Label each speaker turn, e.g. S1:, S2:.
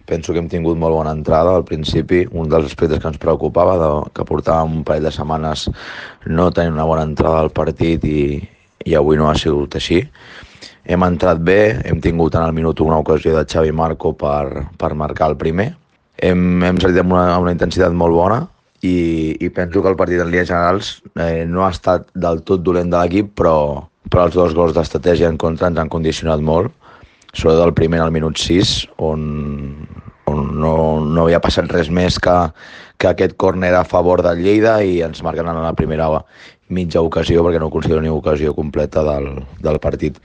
S1: Penso que hem tingut molt bona entrada al principi, un dels aspectes que ens preocupava, que portàvem un parell de setmanes no tenint una bona entrada al partit i avui no ha sigut així. Hem entrat bé, hem tingut en el minut una ocasió de Xavi Marco per marcar el primer. Hem salit amb una intensitat molt bona i penso que el partit en línies generals no ha estat del tot dolent de l'equip, però els 2 gols d'estratègia en contra ens han condicionat molt, sobretot el primer al minut 6, on no havia passat res més que aquest córner a favor del Lleida i ens marquen en la primera mitja ocasió, perquè no considero ni ocasió completa del partit.